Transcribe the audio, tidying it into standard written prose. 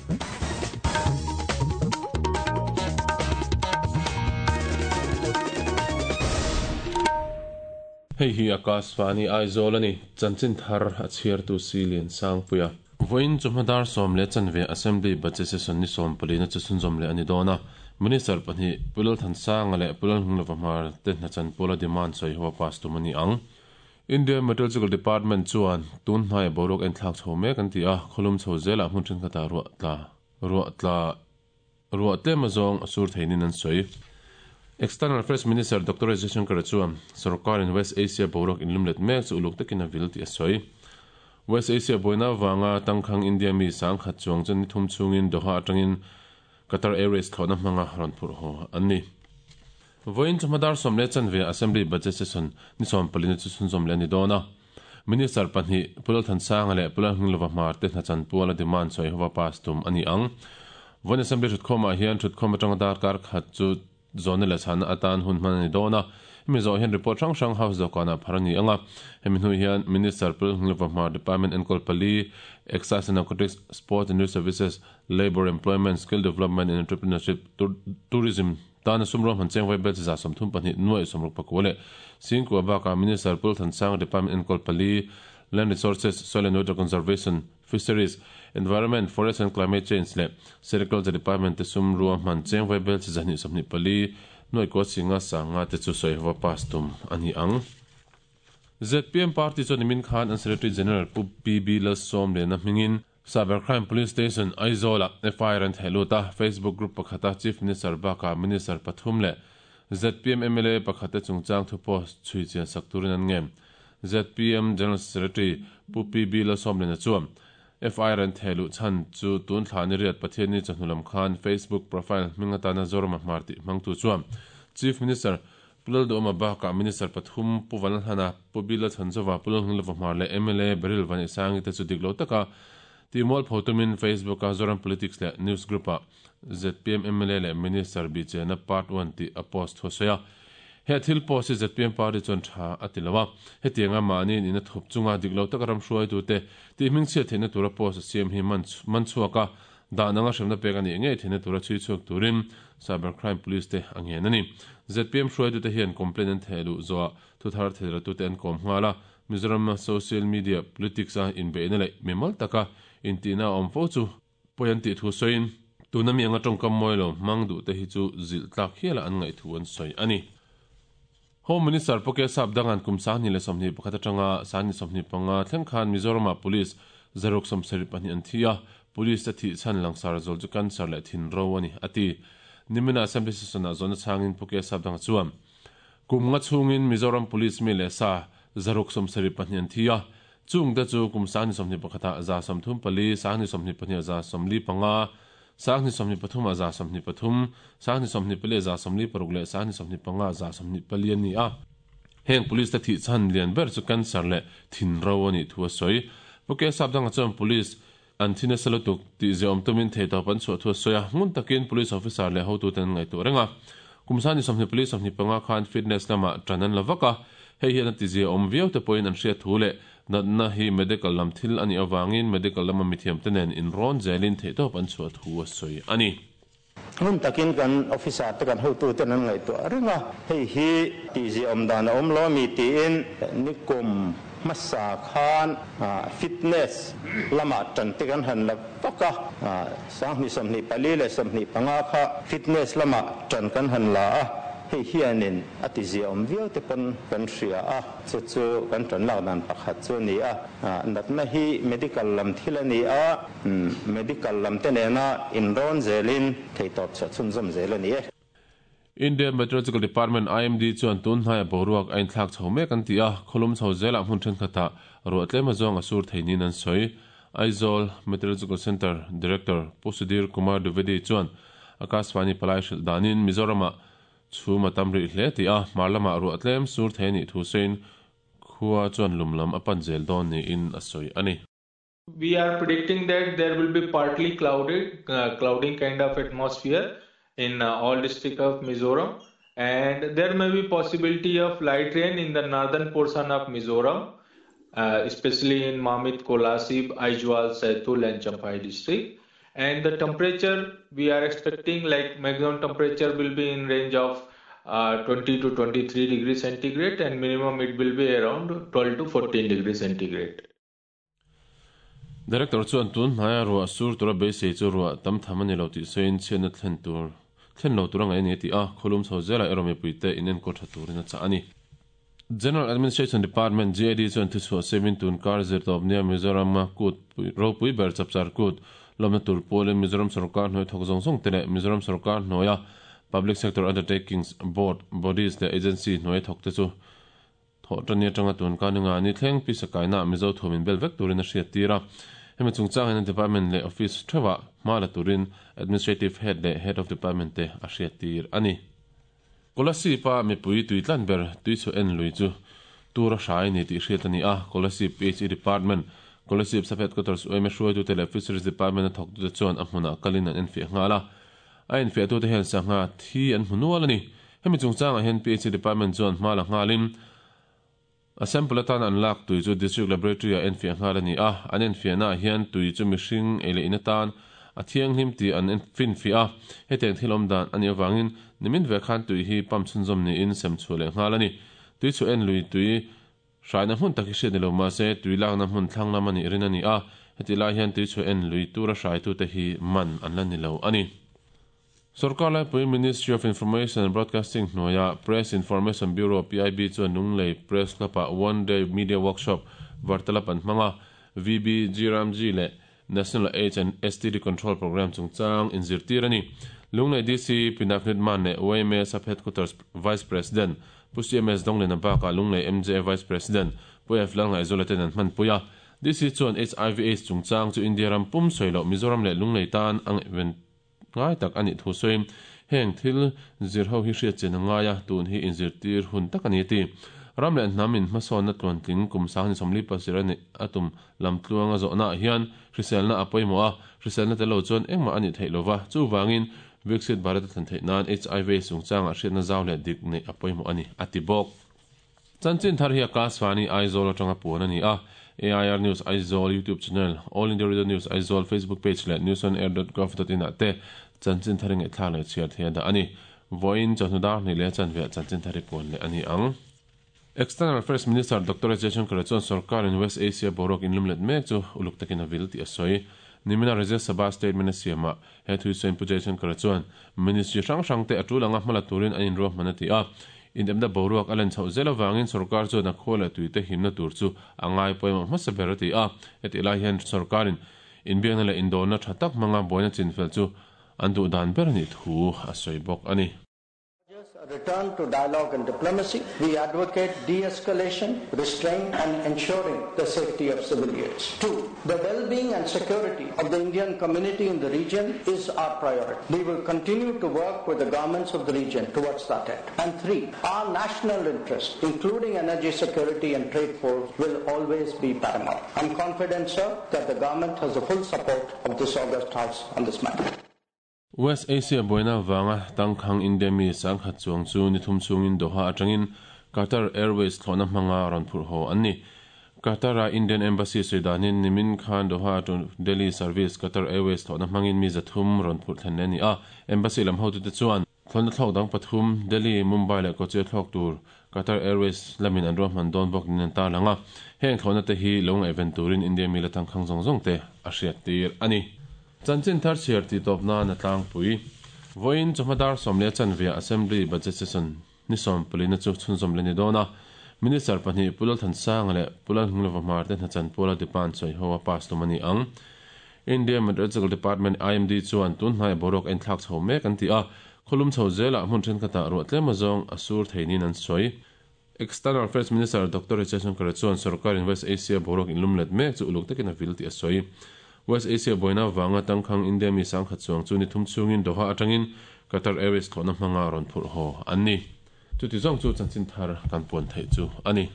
Hei hi Akashvani Aizawl a ni, chanchin thar a chhiartu si Liansangpuia. Vawiin chawhma dar 10:15 Assembly Budget Session ni 14 na chu chhunzawm leh a ni dawn a. Minister pahnih Pu Lalthansanga leh Pu Lalhunglova Hmar te hna chanpuala demand sawi ho a pass tum a ni ang. India Meteorological Department chuan tun hnaia boruak enthlak chho mek an ti a, khawlum chho zelah hmun thenkhatah ruah tla ruah tla ruah tlem azawng a sur theinin an sawi. External Affairs Minister Doctor S Jaishankar chuan sorkarin West Asia boruak inlumlet mek chu uluk takin a vil tih a sawi. West Asia buaina avanga tangkhang India mi 10,000 chuang chu ni thum chhungin Doha atangin Qatar Airways thlawhna hmanga rawn phurh haw an ni. Vawiin chawhma dar 10:15 Assembly Budget Session ni 14 na chu chhunzawm leh a ni dawn a. Minister pahnih Pu Lalthansanga leh Pu Lalhminglova Hmar te hna chanpuala demand sawi hova pass tum a ni ang. Vawiin Assembly thutkhawmah hian thutkhawm atanga darkar khat chu Zawhna leh chhanna atan hun hman a ni dawn a, hemi zawh hian report hrang hrang House dawhkanah phar a ni ang a. Hemi hnu hian Minister Pu Lalhminglova Hmar Department enkawl pali, Excise and Narcotics, Sports and Youth Services, Labour, Employment, Skill Development and Entrepreneurship, Tourism tana sum ruahman cheng vaibel chi 32 nuaih 64 leh Singkua bakah Minister Pu Lalthansanga Department enkawl pali, Land Resources, Soil and Water Conservation, Fisheries, Environment, Forest and Climate Change leh Sericulture Department te sum ruahman cheng vaibel chi 224 nuaih kua singa sanga te chu sawi hova pass tum a ni ang. Zpm party chuan nimin khan an Secretary General Pu PB Lalsawmliana hmingin Cyber Crime Police Station Aizawl-ah FIR an theh lut a, Facebook group pakhata Chief Minister bakah Minister pathum leh zpm mla pakhat te chungchang thu post chhui chian sak turin an ngen. Zpm General Secretary Pu PB Lalsawmliana chuan FIR an theh luh chhan chu tun thla ni riat Pathianni chawhnu lam khan Facebook profile hming atana Zorama Hmar tih hmangtu chuan Chief Minister Pu Lalduhawma bakah Minister pathum Pu Vanlalhlana, Pu Bill Lalchhanzova, Pu Lalhunglova Hmar leh mla Beryl Vaneisangi te chu dik lo taka tihmual pho tumin Facebook-a Zoram Politics leh News Group-ah zpm mla leh Minister bihchena Part One tih a post thu a sawi a. He thil post hi zpm party chuan tha a ti lo a, hetianga mahni in a thup chunga dik lo taka ram hruaitute tih hmingchhiat theihna tura post a siam hi man man chhuak a, dan anga hremna pek a nih ngei theihna tura chhui chhuak turin Cyber Crime Police te a ngen a ni. Zpm hruaitute hian complaint an theh luh zawhah thuthar theiratute an kawm nghal a, Mizoram social media politics a inbeihna leh mimal taka intihna a awm fo chu pawi an tih thu sawiin, tuna mi anga tawngkam mawi lo hmang duh te hi chu zilh tlak hiala an ngaih thu an sawi a ni. Home Minister Poke Sap Dangan kum 2021 atanga 2025 thleng khan Mizoramah Police 672 an thi a, Police te thih chhan langsar zawl chu cancer leh thin ro a ni, a ti. Nimina Assembly Session-ah zawhna chhangin Poke Sap Danga chuan, Kum nga chhungin Mizoram Police mi leh sa 672 an thi a, Chungte chu kum 2021 ah 34, 2022 ah 45, 2023 ah 23, 2024 ah 46 leh 2025 ah 24 an ni a. Heng police te thih chhan lian ber chu cancer leh thin ro a nih thu a sawi. Pu K Sapdanga chuan police an thi nasa lutuk tih ziaawm tumin theihtawp an chhuah thu a sawi a, ngun takin police officer leh hotuten an ngaihtuah reng a. Kum 24 25 khan fitness lamah tan an la vak a, hei hian a ti ziaawm viau te pawhin an hriat thu leh natna hi medical lam thil a nih avangin medical lama mithiamte nen inrawn zelin theihtawp an chhuah thu a sawi a ni. Ngun takin kan officer te kan hotuten an ngaihtuah reng a, hei hi tihziaawm dan a awm lo a mi tiin nikum hmasa khan fitness lamah tan te kan han la vak a, 2024 leh 25 kha fitness lamah tan kan han la a, hei hianin a tiziaawm viau te pawn kan hria a, chu chu kan tan lak dan pakhat chu a ni a, natna hi medical lam thil a ni a. Medical lam te nena inrawn zelin theihtawp chhuah chhunzawm zel a ni e. Indian Meteorological Department, IMD, chuan tun hnaia boruak a inthlak chho mek an ti a, khawlum chho zelah hmun thenkhatah ruah tlem azawng a sur thei niin an sawi. Aizawl Meteorological Centre Director Pu Sudhir Kumar Dwivedi chuan Akashvani palai hrilh danin Mizoramah chhum a tam rih hle tih a, hmar lamah ruah tlem sur thei a nih thu sawiin khua chuan lum lam a pan zel dawn niin a sawi a ni. We are predicting that there will be partly clouded, clouding kind of atmosphere in all district of Mizoram, and there may be possibility of light rain in the northern portion of Mizoram, especially in Mamit, Kolasib, Aizawl, Saitul and Champhai district. And the temperature we are expecting, like maximum temperature will be in range of 20 to 23 degrees centigrade and minimum it will be around 12 to 14 degrees centigrade. Director chuan tun hnaia ruah sur tura beisei chu ruah tam tham a ni lo tih sawiin chhiatna thlen tur thlen lo tur a ngaih a ni a ti a, khawlum chho zelah erawh mipuite inenkawl tha turin a chah a ni. General Administration Department, GAD, chuan thuchhuah siamin tun kar zirtawp nia Mizoram-a kut ropui ber chapchar kut lawmna tur pawlin Mizoram sorkar hnuai thawk zawng zawng te leh Mizoram sorkar hnuaia Public Sector Undertakings, Board, Bodies leh Agency hnuai thawk te chu thawh tani atanga tun kar ninga ni thleng pisa kaina Mizo thuam inbel vek turin a hriattir a. Hemi chungchang hian Department leh Office theuhah hma la turin Administrative Head leh Head of Department te a hriattir a ni. Kolasib-a mipui tui tlan ber tuichhuah en lui chu tur a hrai ni tih hriat a ni a, Kolasib PHE Department, Kolasib Sub Headquarters UMA hruaitute leh Fisheries Department-a thawktute chuan a hmunah kalin an enfiah nghal a. A enfiahtute hian sangha thi an hmu nual a ni. Hemi chungchangah hian PHE Department chuan hma la nghalin a sample atan an lak tui chu District Laboratory-ah enfiah nghal a ni a, an enfiahnaah hian tui chu mihring ei leh in atan a thianghlim tih an finfiah a, hetiang thil awm dan a nih avangin nimin ve khan tui hi pump chhunzawm niin sem chhuah leh nghal a ni. Tui chhuah en lui tui hraina hmun tak hi hriat ni lo mahse tui lakna hmun thlang lam a nih rin a ni a, hetih lai hian tui chhuah en lui tura hraitute hi man an la ni lo a ni. Sorkar laipui Ministry of Information and Broadcasting hnuaia Press Information Bureau, PIB, chuan Lunglei Press Club-ah One Day Media Workshop Vartalap an hmang a, VB, GRAMG leh National AIDS and STD Control Programme chungchang inzirtir a ni. Lunglei DC Pi Navneet Mann leh YMA Sub-Headquarters Vice President Pu CMS Donglena bakah Lunglei MJA Vice President Pu F Lalngaihzuala ten an hmanpui a. DC chuan HIV AIDS chungchang chu India ram pum sawi loh Mizoram leh Lunglei tan a ngaihven Ngai tak a nih thu sawiin, heng thil zir ho hi hriat chian a ngai a, tun hi inzirtir hun tak a ni a ti. Ram leh hnam in hmasawnna tluantling kum sang ni 47 a nih a tum lam tluanga zawhnaah hian hriselna a pawimawh a, hriselna tel lo chuan engmah a nih theih lova, chuvangin Viksit Bharat a thlen theih nan HIV chungchangah hriatna zau leh dik neih a pawimawh a ni, a ti bawk. Chanchin thar hi Akashvani Aizawl atanga puan a ni a, AIR News Aizawl YouTube channel, All India Radio News Aizawl Facebook page leh newsonair.gov.in ah te chanchin thar i ngaihthlak leh chhiar thei a dah a ni. Vawiin chawhnu dar hnih leh chanve ah chanchin thar i puan leh a ni ang. External Affairs Minister Doctor S Jaishankar chuan sorkarin West Asia boruak inlumlet mek chu uluk takin a vil tih a sawi. Nimina Rajya Sabha statement a siamah he thuisawiin Pu Jaishankar chuan Ministry hrang hrangte a tul anga hmala turin an inruahman a ti a. Inepna boruak a len chhoh zel avangin sorkar chuan a khua leh tuite himna tur chu a ngai pawimawh hmasa ber a ti a. Hetih lai hian sorkarin inbiakna leh indawrna tha tak hmanga buaina chinfel chu an duh dan ber a nih thu a sawi bawk a ni. A return to dialogue and diplomacy. We advocate de-escalation, restraint and ensuring the safety of civilians. 2. The well-being and security of the Indian community in the region is our priority. We will continue to work with the governments of the region towards that end. And 3. Our national interest, including energy security and trade flows, will always be paramount. I'm confident, sir, that the government has the full support of this August House on this matter. West Asia buaina avanga tangkhang India mi sangkhat chuang chu ni thum chungin Doha atangin Qatar Airways thlawhna hmanga rawn phurh haw an ni. Qatar-a Indian Embassy sawi danin nimin khan Doha to Delhi service Qatar Airways thlawhna hmangin mi 300 rawn phurh thlen leh a ni a. Embassy lam hotute chuan thlawhna thlawk dang pathum Delhi, Mumbai leh Kochi a thlawk tur Qatar Airways lamin an ruahman dawn bawk niin an tarlang a. Heng thlawhna te hi lo ngaihven turin India mi la tangkhang zawng zawng te a hriattir a ni. Chanchin thar chhiar tih tawp nan a tlangpui. Vawiin chawhma dar 10 chanve Assembly Budget Session ni 14 na chu chhunzawm leh ni dawn a. Minister pahnih Pu Lalthansanga leh Pu Lalhnglova Hmar te hnachan puala Deparnt sawi ho a pass tum a ni ang. India Meteorological Department, IMD, chuan tun hnaiah boruak a inthlak chho mek an ti a, khawlum chho zelah hmun thenkhatah ruah tlem azawng a sur thei niin an sawi. External Affairs Minister Doctor Jaishankar chuan sorkarin West Asia boruak inlumlet mek chu uluk takin a vil tih a sawi. West Asia buaina avanga tangkhang India mi sangkhat chuang chu ni thum chhungin Doha atangin Qatar Airways thlawhna hmanga rawn phurh haw an ni. Chuti zawng chu chanchin thar kan puan theih chu a ni.